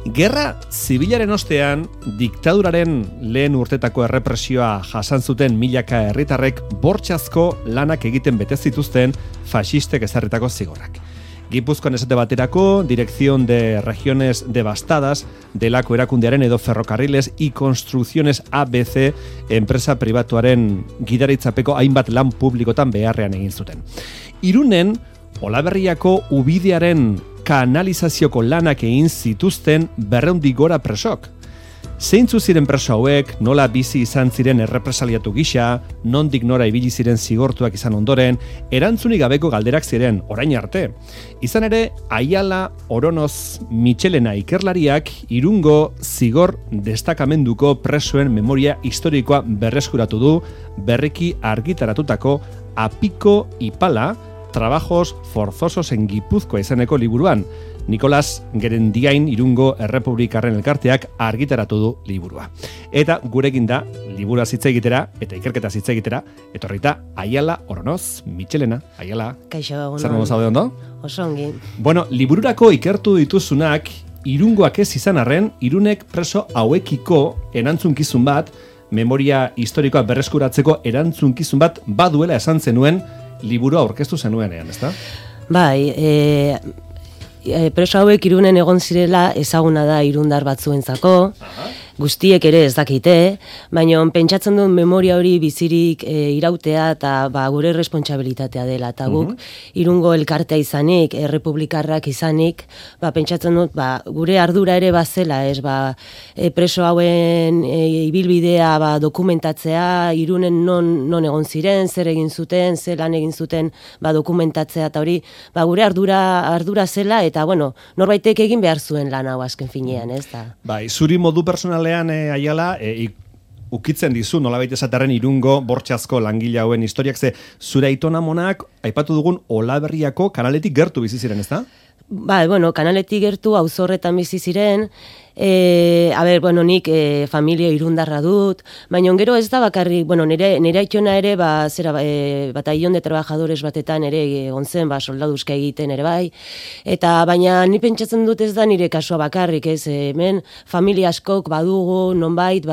Gerra zibilaren ostean, diktaduraren lehen urtetako errepresioa jasan zuten milaka herritarrek bortxazko lanak egiten bete zituzten faxistek ezarritako zigorrak. Gipuzkoan esate baterako, Dirección de Regiones Devastadas, delako erakundearen edo Ferrocarriles y Construcciones ABC, enpresa pribatuaren gidaritzapeko hainbat lan publikotan beharrean egin zuten. Irunen, Olaberriako ubidearen kanalizazioko lanak egin zituzten 200 gora presok. Zeintzu ziren preso hauek, nola bizi izan ziren errepresaliatu gisa, nondik nora ibili ziren zigortuak izan ondoren, erantzunik gabeko galderak ziren orain arte. Izan ere, Ayala, Oronoz, Michelena ikerlariak Irungo zigor destakamenduko presoen memoria historikoa berreskuratu du, berriki argitaratutako Apiko Ipala, Trabajos forzosos en Gipuzkoa izeneko liburuan. Nicolas Gerendiain Irungo Errepublikarren elkarteak argitaratu du liburua. Eta gurekin da, liburua hitz egitera eta ikerketa hitz egitera, etorrita Ayala, Oronoz, Michelena. Ayala. Kaixo, zer modu zaude ondo? Oso ongi. Bueno, libururako ikertu dituzunak, Irungoak ez izan arren, Irunek preso hauekiko erantzunkizun bat, memoria historikoa berreskuratzeko erantzunkizun bat baduela esan zenuen liburua aurkeztu zenuenean, ezta? Bai, preso hauek Irunen egon zirela ezaguna da irundar batzuentzako, guztiek ere ez dakite, baina pentsatzen dut memoria hori bizirik irautea eta gure responsabilitatea dela. Eta guk Irungo elkartea izanik, errepublikarrak izanik, pentsatzen dut gure ardura ere bazela, preso hauen ibilbidea dokumentatzea, Irunen non egon ziren, zer egin zuten, zer lan egin zuten dokumentatzea, eta hori gure ardura zela, eta norbaitek egin behar zuen lan hau azken finean, ez da. Bai, zuri modu personalean Ayala, ukitzen dizu, nolabait esaterren Irungo bortxazko langile hauen historiak, ze zure aitona monak, aipatu dugun Olaberriako kanaletik gertu bizi ziren, ezta? Bai, kanaletik gertu auzorretan bizi ziren, nik familia irundarra dut, baina gero ez da bakarrik, nire aitona ere, batallón de trabajadores batetan ere egon zen, soldaduzka egiten ere bai, eta baina ni pentsatzen dut ez da nire kasua bakarrik, ez, hemen familia askok badugu, nonbait,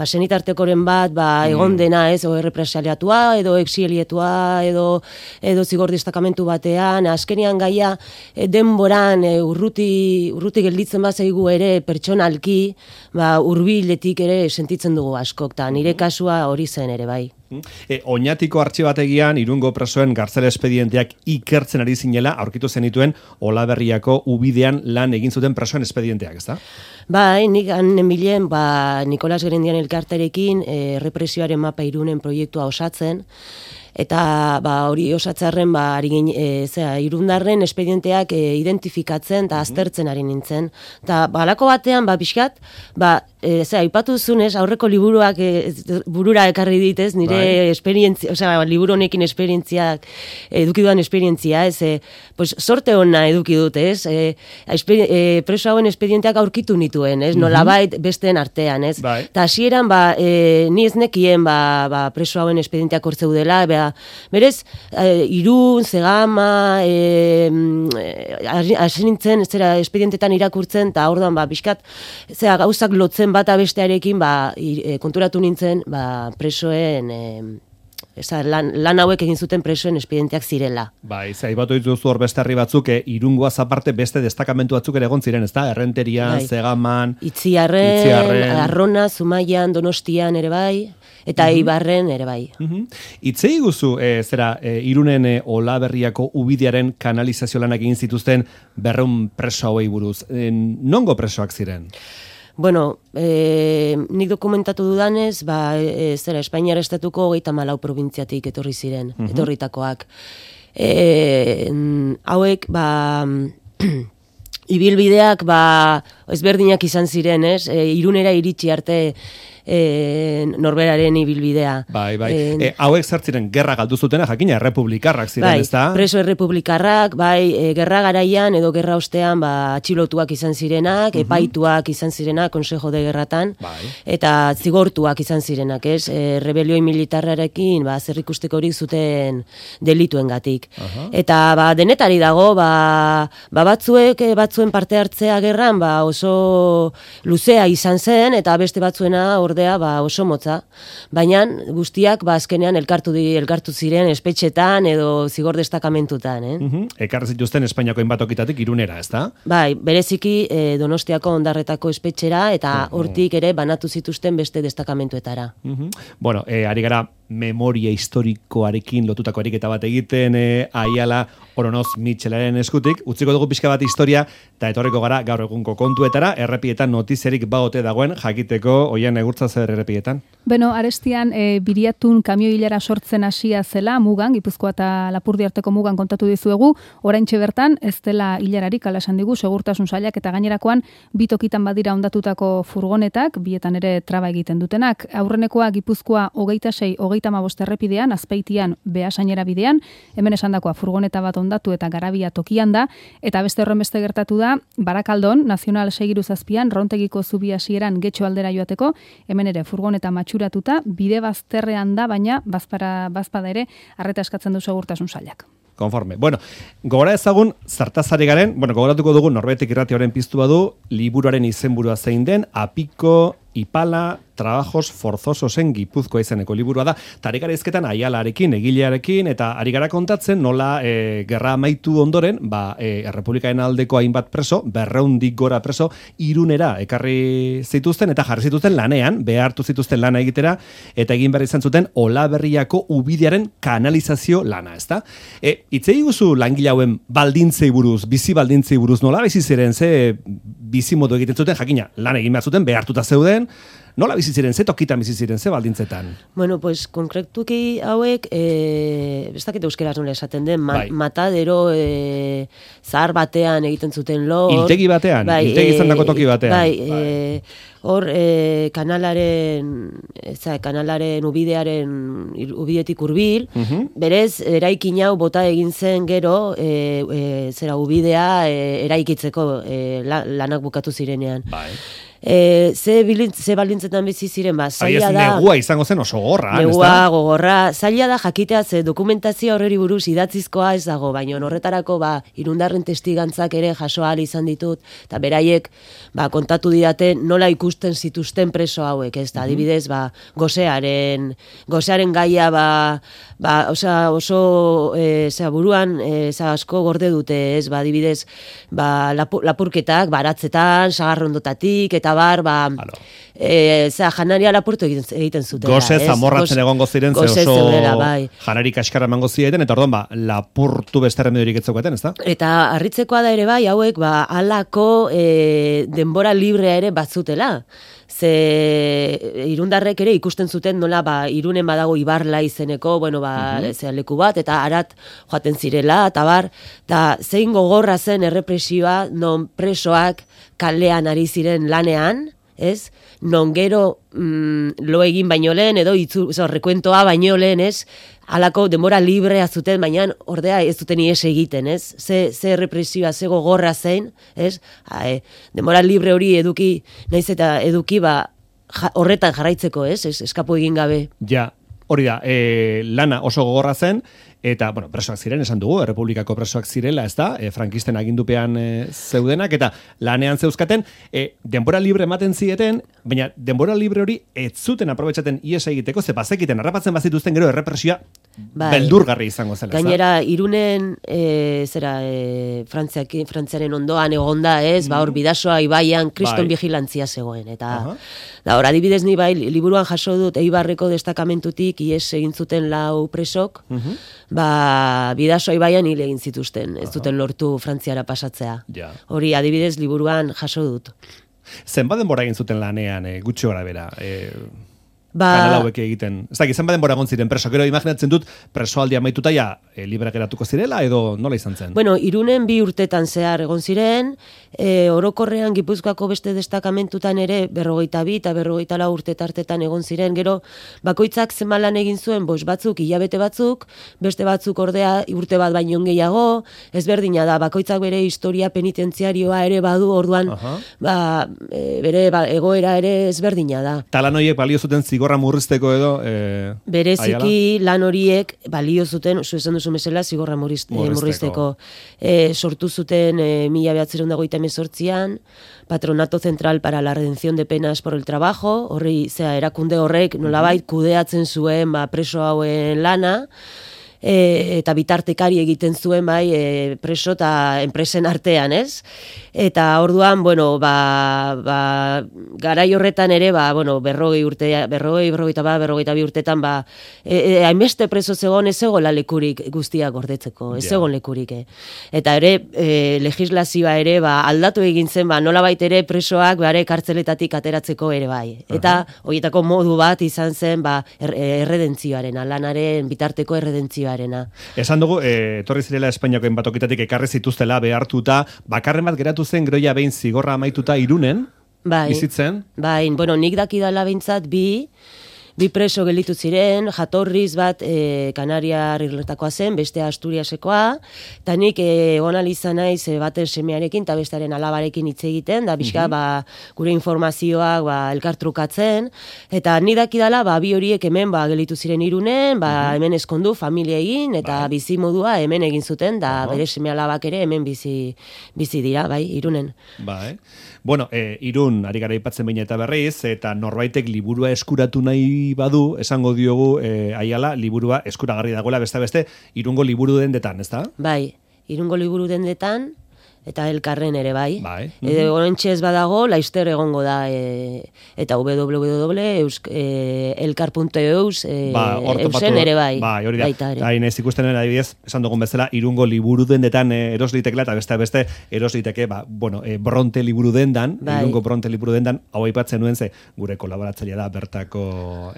senitartekoren bat, egon dena, ez, errepresaliatua, edo exilietua, edo zigor destakamentu batean, azkenian gaia, denboran urruti gelditzen bazaigu ere pertsonalki, hurbiletik ere sentitzen dugu askok, eta nire kasua hori zen ere bai. Oñatiko artxibategian Irungo presoen gartzel espedienteak ikertzen ari zinela aurkitu zenituen Olaberriako ubidean lan egin zuten presoen espedienteak, ezta? Bai, nik nenbilen Nicolas Gerendian elkarterekin represioaren mapa Irunen proiektua osatzen, eta hori osatzarren irundarren espedienteak identifikatzen eta aztertzen ari nintzen. Eta halako batean, pixkat, aipatu zunez, aurreko liburuak burura ekarri ditez, nire esperientzia, liburu honekin esperientziak, eduki dudan esperientzia, sorte hona eduki dut, preso hauen espedienteak aurkitu nituen, nolabait besteen artean, eta hasieran, ni ez nekien, preso hauen espedienteak hortzeudela, berez, Irun, Zegama, hasi nintzen, espedientetan irakurtzen, eta orduan, pixkat, gauzak lotzen bata bestearekin, konturatu nintzen, presoen, lan hauek egin zuten presoen espedienteak zirela. Zaibatu dituzu hor beste herri batzuk, Irungoaz aparte beste destakamentu batzuk ere egon ziren, ezta? Errenterian, Zegaman, Itziarren, Arrona, Zumaian, Donostian ere bai, eta Eibarren ere bai. Itzei guzu, Irunen Olaberriako ubidearen kanalizazio lanak egin zituzten 200 preso hauei buruz. Nongo presoak ziren? Nik dokumentatu dudanez, Espainiar estatuko 34 probintziatik etorri ziren, etorritakoak. Hauek, ibilbideak ezberdinak izan ziren, Irunera iritsi arte norberaren ibilbidea. Bai. Hauek zertziren gerra galdu zutena, jakina, errepublikarrak ziren, ezta? Preso errepublikarrak, gerra garaian edo gerra ostean, atxilotuak izan zirenak, epaituak izan zirenak, Consejo de Gerratan, eta zigortuak izan zirenak, ez? Rebelioi militarrarekin, zerrikusteko hori zuten delituengatik. Eta, denetari dago, batzuen parte hartzea gerran, oso luzea izan zen, eta beste batzuena ordea oso motza. Baina guztiak azkenean elkartu ziren espetxetan edo zigor destakamentutan. Ekarri zituzten Espainiako hainbat okitatik Irunera, ezta? Bai, bereziki Donostiako Ondarretako espetxera eta hortik ere banatu zituzten beste destakamentuetara. Bueno, ari gara memoria historikoarekin lotutako ariketa bat egiten Aiala Oronoz Mitxelaren eskutik. Utziko dugu pixka bat historia eta etorriko gara gaur egunko kontuetara, errepietan notiziarik bagote dagoen jakiteko oian egurtza zer errepietan. Beno, Arestian Biriatun kamio hilara sortzen hasia zela mugan, Gipuzkoa eta Lapurdi arteko mugan kontatu dizuegu, oraintxe bertan ez dela hilararik ala esan digu segurtasun sailak eta gainerakoan bitokitan badira hondatutako furgonetak, bietan ere traba egiten dutenak. Aurrenekoa Gipuzkoa 26-35 errepidean, Azpeitian Beasainera bidean, hemen esandakoa furgoneta bat hondatu eta garabia tokian da, eta beste horrenbeste gertatu da Barakaldon, Nazional 6-7an, Rontegiko zubi hasieran Getxo aldera joateko, hemen ere furgoneta matxuratuta, bide bazterrean da, baina bazpada ere arreta eskatzen du segurtasun sailak. Konforme. Bueno, gogora ezagun, zartazari garen, gogoratuko dugu Norbetek Irratioaren piztu badu, liburuaren izenburua zein den, Apiko, Ipala, Trabajos Forzososen Gipuzkoa izeneko liburua da. Ta ari gara hizketan Aialarekin, egilearekin, eta ari gara kontatzen nola gerra amaitu ondoren, Errepublikaren aldeko hainbat preso, 200 gora preso, Irunera ekarri zituzten eta jarri zituzten lanean, behartu zituzten lana egitera, eta egin behar izan zuten Olaberriako ubidearen kanalizazio lana, ezta? Hitzei guzu langile hauen baldintzei buruz, bizi baldintzei buruz, nola bizi ziren, ze bizi modu egiten zuten, jakina, lan egin behar zuten, behartuta zeuden, nola bizi ziren, ze tokitan bizi ziren, ze baldintzetan? Bueno, pues konkretuki hauek, ez dakit euskeraz nola esaten den, matadero zahar batean egiten zuten lo. Hiltegi batean, hiltegi izandako toki batean. Hor, kanalaren ubidetik hurbil, berez, eraikin hau bota egin zen gero, ubidea eraikitzeko lanak bukatu zirenean. Ze baldintzetan bizi ziren, zaila da. Negua izango zen oso gorra. Negua, gogorra, zaila da jakitea, ze dokumentazio horreri buruz idatzizkoa ez dago, baina horretarako Irundarren testigantzak ere jaso ahal izan ditut, eta beraiek kontatu didate nola ikusten zituzten preso hauek, ez da, adibidez, gosearen gaia, oso buruan asko gorde dute, ez, adibidez, lapurketak, baratzetan, sagarrondotatik, eta janaria lapurtu egiten zuten. Goze zamorratzen egongo ziren, ze oso janari kaskarra emango ziren, eta orduan, lapurtu beste remediorik etzeukaten, ez da? Eta harritzekoa da ere hauek, halako denbora librea ere batzutela. Ze Irundarrek ere ikusten zuten nola Irunen badago Ibarla izeneko, leku bat, eta harat joaten zirela, eta zein gogorra zen errepresioa, non presoak kalean ari ziren lanean, ez? Non gero lo egin baino lehen, edo rekuentoa baino lehen, ez? Halako denbora librea zuten, baina ordea ez duten ies egiten, ez? Ze represioa, ze gogorra zein, ez? Denbora libre hori eduki, naiz eta eduki horretan jarraitzeko, ez? Eskapu egin gabe. Ja, hori da, lana oso gogorra zen, eta, presoak ziren, esan dugu, Errepublikako presoak zirela, ez da, frankisten agindupean zeudenak, eta lanean zeuzkaten, denbora libre ematen zieten, baina denbora libre hori ez zuten aprobetxaten ies egiteko, ze bazekiten, harrapatzen bazituzten gero errepresioa beldurgarri izango zela. Gainera, Irunen, Frantziaren ondoan egonda, ez, hor Bidasoa ibaian kriston vigilantzia zegoen, eta hor, adibidez ni liburuan jaso dut Eibarreko destakamentutik ies egin zuten 4 presok, Bidasoa ibaian hil egin zituzten, ez duten lortu Frantziara pasatzea. Hori, adibidez, liburuan jaso dut. Zenbat denbora egin zuten lanean, gutxi gora bera? kanal hauek egiten. Ez dakit, zenbat denbora egon ziren preso, gero imaginatzen dut presoaldia amaituta ja libre geratuko zirela edo nola izan zen? Bueno, Irunen 2 urtetan zehar egon ziren, orokorrean Gipuzkoako beste destakamentutan ere 42 eta 44 urte tartetan egon ziren, gero bakoitzak zenbat lan egin zuen, batzuk hilabete batzuk, beste batzuk ordea urte bat baino gehiago, ezberdina da, bakoitzak bere historia penitentziarioa ere badu, orduan bere egoera ere ezberdina da. Ta lan horiek balio zuten zigorra murrizteko edo? Bereziki lan horiek balio zuten, esan duzu mesela, zigorra murrizteko. Sortu zuten 1928an, Patronato Central para la Redención de Penas por el Trabajo, erakunde horrek nolabait kudeatzen zuen preso hauen lana, eta bitartekari egiten zuen preso eta enpresen artean, ez? Eta orduan, garai horretan ere, 40 urte, 42 urtetan, hainbeste preso zegoen ez zegoela lekurik guztiak gordetzeko, ez zegoen lekurik. Eta ere, legislazioa ere, aldatu egin zen, nolabait ere presoak kartzeletatik ateratzeko ere bai. Eta horietako modu bat izan zen, erredentzioarena, lanaren bitarteko erredentzioarena. Esan dugu, etorri zirela Espainiako enbatokitatik ekarri zituztela behartuta, bakarren bat geratu zen groia behin zigorra amaituta Irunen, bizitzen? Bai, nik dakidala behintzat bi preso gelditu ziren, jatorriz bat Kanariar irletakoa zen, beste Asturiasekoa, eta nik egon izan naiz baten semearekin eta bestearen alabarekin hitz egiten, da bizka gure informazioak elkartrukatzen, eta nik dakidala bi horiek hemen gelditu ziren Irunen, hemen eskondu familia egin, eta bizi modua hemen egin zuten, da bere seme alabak ere hemen bizi dira, Irunen. Bueno, Irun, ari gara aipatzen baina eta berriz, eta norbaitek liburua eskuratu nahi badu, esango diogu, Aiala, liburua eskuragarri dagoela beste, Irungo liburu dendetan, ez da? Bai, Irungo liburu dendetan, eta Elkarren ere bai. Horentxe ez badago, Laister egongo da, eta www.elkar.eus eusen ere bai. Hori da. Hain ez ikusten adibidez, esan dugun bezala, Irungo liburu dendetan eroslitekela, eta beste erosliteke, Bronte liburu dendan, Irungo Bronte liburu dendan, hau aipatzen nuen ze, gure kolaboratzailea da bertako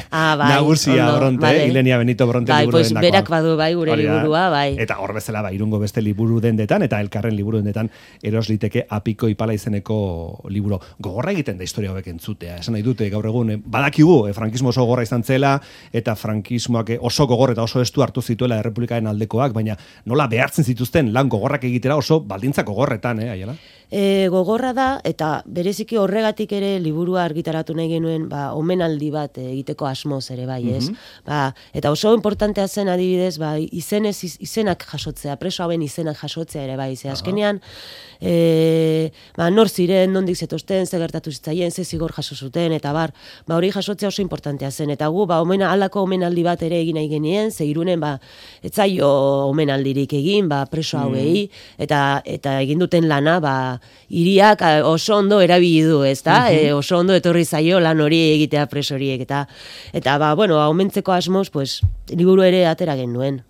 nagusia Bronte, Ilenia Benito Bronte liburu dendakoa. Berak badu gure liburua, bai. Eta hor bezala, Irungo beste liburu dendetan, eta Elkarren liburu dendetan erosliteke Apiko Ipala izeneko liburu. Gogorra egiten da historia hauek entzutea. Esan nahi dute gaur egun, badakigu, frankismo oso gogorra izan zela, eta frankismoak oso gogor eta oso estu hartu zituela errepublikaren aldekoak, baina nola behartzen zituzten lan gogorrak egitera oso baldintza gogorretan, Aiala? Gogorra da, eta bereziki horregatik ere liburua argitaratu nahi genuen, omenaldi bat egiteko asmoz ere bai, ez? Eta oso importantea zen adibidez, izenak jasotzea, preso hauen izenak jasotzea ere bai, ze azkenean, nor ziren, nondik zetozten, ze gertatu zitzaien, ze zigor jaso zuten, eta hori jasotzea oso importantea zen, eta gu, halako omenaldi bat ere egin nahi genien, ze Irunen, ez zaio omenaldirik egin, preso hauei, eta egin duten lana, hiriak oso ondo erabili du, ezta? Oso ondo etorri zaio lan hori egitea preso horiek, eta aumentzeko asmoz, liburu ere atera genuen.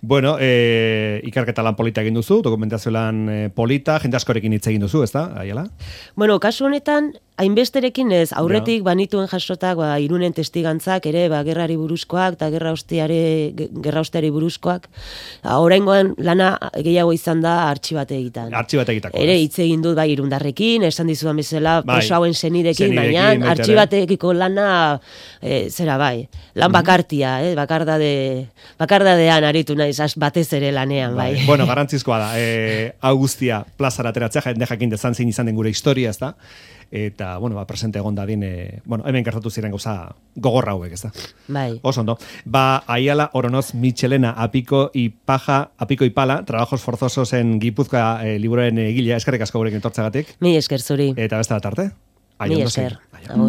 Bueno, ikerketa lan polita egin duzu, dokumentazio lan polita, jende askorekin hitz egin duzu, ezta, Aiala? Bueno, kasu honetan, hainbesterekin ez, aurretik banituen jasotak, Irunen testigantzak ere, gerrari buruzkoak, eta gerra osteari buruzkoak, oraingoan lana gehiago izan da artxibate egiten. Ere hitz egin dut Irundarrekin, esan dizudan bezala, preso hauen senidekin, baina artxibatekiko lana, lan bakartia, bakardadean aritu naiz, aritu ere lanean, bai. Bueno, garantzizkoa da, Augustia plazara ateratzea, jende jakin dezan zein izan den gure historia, ez da? Eta, presente egon dadin, hemen gertatu ziren gauza gogorra hauek, ez da? Bai. Oso ondo. Aiala Oronoz Michelena, Apiko Ipala, Trabajos Forzosos en Gipuzkoa liburuen egilea, eskerrik asko gurekin etortzeagatik. Mi esker zuri. Eta beste da tarte? Mi esker. Agur.